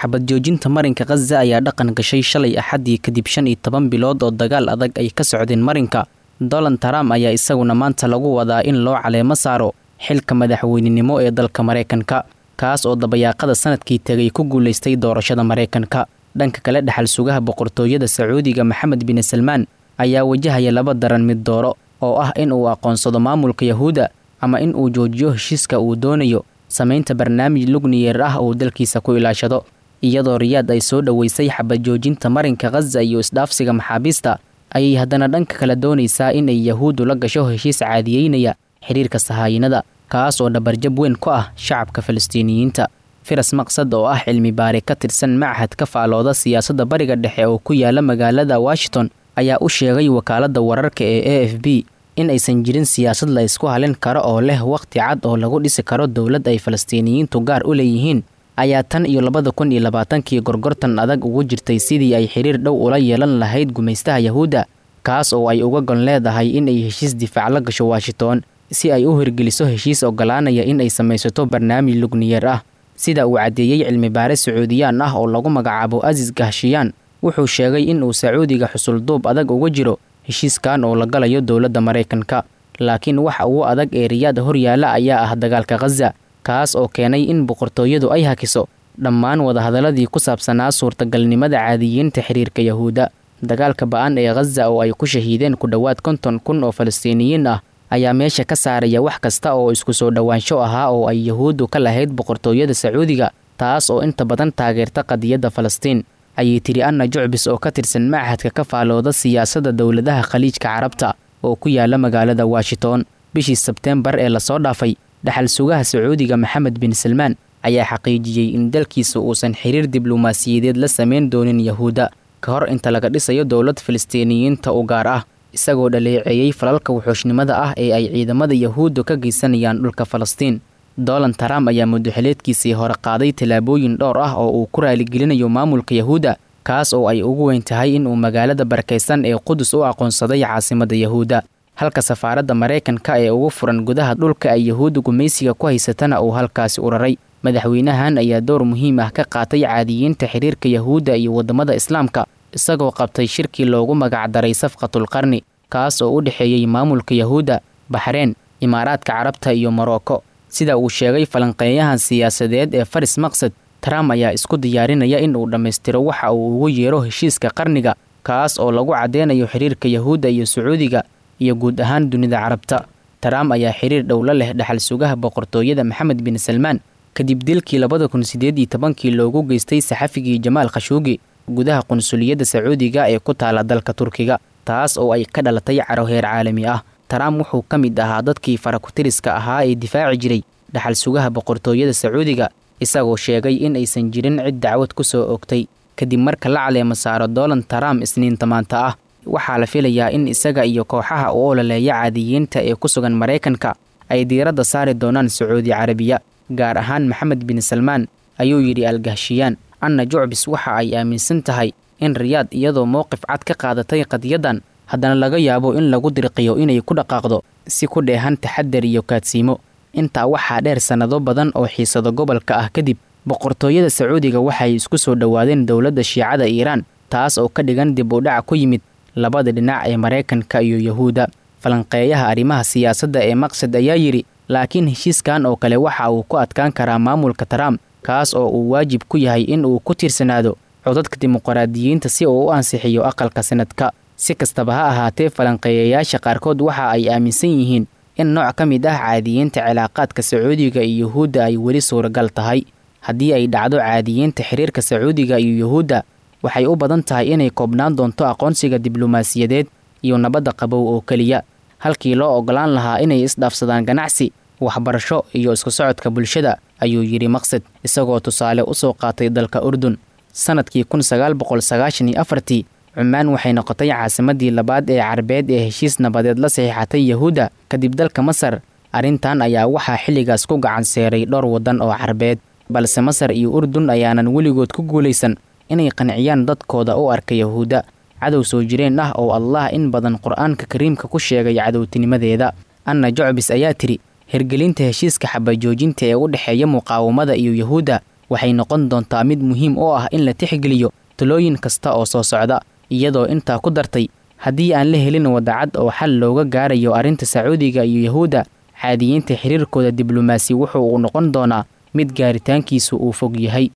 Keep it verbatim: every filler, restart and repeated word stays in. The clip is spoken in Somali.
Xabad joojinta marinka Khaza ayaa dhaqan gashay shalay Axaddii kadib shan iyo toban bilood oo dagaal adag ay ka socdeen marinka. Donald Trump ayaa isaguna maanta lagu wadaa in loo caleemo saaro xilka madaxweynenimo ee dalka Maraykanka, kaas oo dabayaaqada sanadkii tegay ku guulaystay doorashada Maraykanka. Dhanka kale, dhaxal sugaha boqortooyada Sacuudiga Maxamed bin Salmaan ayaa wajahaya laba daran mid dooro, oo ah in uu aqoonsado maamulka Yahuudda ama in uu joojiyo heshiiska uu doonayo samaynta barnaamij lugniyeer ah oo dalkiisa ku ilaashado. Iyadoo Riyaad ay soo dhoweysay xabad joojinta marinka Khaza iyo isdhaafsiga maxaabiista, ayay haddana dhanka kale doonaysaa in ay Yahuuddu la gasho heshiis caadiyeynaya xiriirka sahaayinada, kaas oo dhabarjab weyn ku ah shacabka Falastiiniyiinta. Firas Maqsad oo ah cilmi baare ka tirsan machad ka faalooda siyaasadda Bariga Dhexe oo ku yaala magaalada Washington ayaa u sheegay wakaaladda wararka ee A F B in aysan jirin siyaasad la isku halin karo oo leh waqti cad oo lagu dhisi karo dowlad ay Falastiiniyiintu gaar u leeyihiin, ayaa tan iyo labada kun iyo labaatankii gorgortan adag ugu jirtay sidii ay xiriir dhow ula yeelan lahayd gumaystaha Yahuudda, kaas oo ay uga gon leedahay in ay heshiis difaac la gasho Washington si ay u hirgeliso heshiis ogolaanaya in ay samaysato barnaamij lugniyeer ah. Sida uu caddeeyey cilmi baare Sacuudiyaan ah oo lagu magacaabo Aziz Gahshiyaan, wuxuu sheegay in uu Sacuudiga xusulduub adag uga jiro heshiiskan oo la galayo dowladda Maraykanka, laakiin waxa ugu adag ee Riyaad horyaala ayaa ah dagaalka Khaza, kaas oo keenay in boqortooyadu ay hakiso dhammaan wadahadaladii ku saabsanaa suurtagalnimada caadiyiinta xiriirka Yahuudda. Dagaalka ba'an ee Khaza oo ay ku shahiideen ku dhowaad konton kun oo Falastiiniyiin ah ayaa meesha ka saaraya wax kasta oo isku soo dhowaansho ahaa oo ay Yahuuddu ka lahayd boqortooyada Sacuudiga, taas oo inta badan taageerta qadiyadda Falastiin, ayay tiri Anna Jucbis oo ka tirsan machadka ka faalooda siyaasadda dowladaha Khaliijka Carabta oo ku yaala magaalada Washington. Bishii Sebteembar ee lasoo dhaafay, dhaxal sugaha Sacuudiga Maxamed bin Salmaan ayaa xaqiijiyey in dalkiisa uusan xiriir diblumaasiyadeed la samayn doonin Yahuudda ka hor inta laga dhisayo dowlad Falastiiniyiinta u gaar ah, isagoo dhaleeceeyey falalka wuxuushnimada ah ee ay ciidamada Yahuuddu ka geysanayaan dhulka Falastiin. Donald Trump ayaa muddoxileedkiisii hore qaaday tallaabooyin dhowr ah oo uu ku raaligelinayo maamulka Yahuudda, kaas oo ay ugu weyn tahay in uu magaalada barakaysan ee Qudus u aqoonsaday caasimadda Yahuudda, halka safaaradda Maraykanka ee ugu furan gudaha dhulka ay Yahuuddu gumaysiga ku haysatana uu halkaasi u raray. Madaxweynahan ayaa door muhiim ah ka qaatay caadiyiinta xiriirka Yahuudda iyo waddamada Islaamka, isagoo qabtay shirkii loogu magacdaray Safqatul Qarni, kaas oo u dhexeeyey maamulka Yahuudda, Baxreen, Imaaraadka Carabta iyo Morocco. Sida uu sheegay falanqeeyahan siyaasadeed ee Faris Maqsad, Trump ayaa isku diyaarinaya in uu dhammaystiro waxa uu ugu yeero heshiiska qarniga, kaas oo lagu caddeynayo xiriirka Yahuudda iyo Sacuudiga iyo guud ahaan dunida Carabta. Trump ayaa xiriir dhow la leh dhaxal sugaha boqortooyada Maxamed bin Salmaan kadib dilkii labada kun sideed iyo tobankii loogu geystay saxafigii Jamaal Khashoggi gudaha qunsuliyadda Sacuudiga ee ku taala dalka Turkiga, taas oo ay ka dhalatay caro heer caalami ah. Trump wuxuu ka mid ahaa dadkii farakutiriska ahaa ee difaaci jiray dhaxal sugaha boqortooyada Sacuudiga, isagoo sheegay in aysan jirin cid dacwad ku soo oogtay. Kadib marka la caleemo saaro Donald Trump Isniinta maanta ah, waxaa la filayaa in isaga iyo kooxaha u ololeeya caadiyiinta ee ku sugan Maraykanka ay diiradda saari doonaan Sacuudi Carabiya, gaar ahaan Maxamed bin Salmaan, ayuu yidhi Al-Gahshiyaan. Anna Jucbis waxa ay aaminsan tahay in Riyaad iyadoo mowqif cad ka qaadatay qadiyaddan, haddana laga yaabo in lagu dirqiyo inay ku dhaqaaqdo si ku dheehan taxadar iyo kaadsiimo. Intaa waxaa dheer, sannado badan oo xiisado gobolka ah kadib, boqortooyada Sacuudiga waxay isku soo dhowaadeen dowladda Shiicada Iiraan, taas oo ka dhigan dib u dhac ku yimid labada dhinac ee Maraykanka iyo Yahuudda. Falanqeeyaha arrimaha siyaasadda ee Maqsad ayaa yidhi, laakiin heshiiskan oo kale waxa uu ku adkaan karaa maamulka Trump, kaas oo uu waajib ku yahay in uu ku tiirsanaado codadka dimuqraadiyiinta si uu u ansixiyo aqalka sanadka. Si kastaba ha ahaatee, falanqeeyayaasha qaarkood waxa ay aaminsan yihiin in nooc ka mid ah caadiyiinta cilaaqaadka Sacuudiga iyo Yahuudda ay weli suuragal tahay. Haddii ay dhacdo caadiyiinta xiriirka Sacuudiga iyo Yahuudda, waxay u badan tahay inay koobnaan doonto aqoonsiga diblumaasiyadeed iyo nabadda qabow oo keliya, halkii loo ogolaan lahaa inay isdhaafsadaan ganacsi, waxbarasho iyo isku socodka bulshada, ayuu yidhi Maqsad, isagoo tusaale u soo qaatay dalka Urdun. Sanadkii kun sagaal boqol sagaashan iyo afartii, Cumaan waxay noqotay caasimadii labaad ee Carbeed ee heshiis nabadeed la saxiixatay Yahuudda kadib dalka Masar. Arrintan ayaa waxaa xilligaas ku gacan seeray dhowr waddan oo Carbeed, balse Masar iyo Urdun ayaanan weligood ku guulaysan inay qanciyaan dadkooda u arka Yahuudda cadow soo jireen ah oo Allah in badan Qur'aanka Kariimka ku sheegay cadowtinimadeeda. Anna Jucbis ayaa tiri, hirgelinta heshiiska xabajoojinta ee u dhexeeya muqaawamada iyo Yahuudda Waxay noqon doontaa mid muhiim u ah in la tixgeliyo talooyin kasta oo soo socda, iyadoo intaa ku dartay haddii aan la helin wadacad oo xal looga gaarayo arrinta Sacuudiga iyo Yahuudda, caadiyiinta xiriirkooda diblomaasi wuxuu uu noqon doonaa mid gaaritaankiisu uu fog yahay.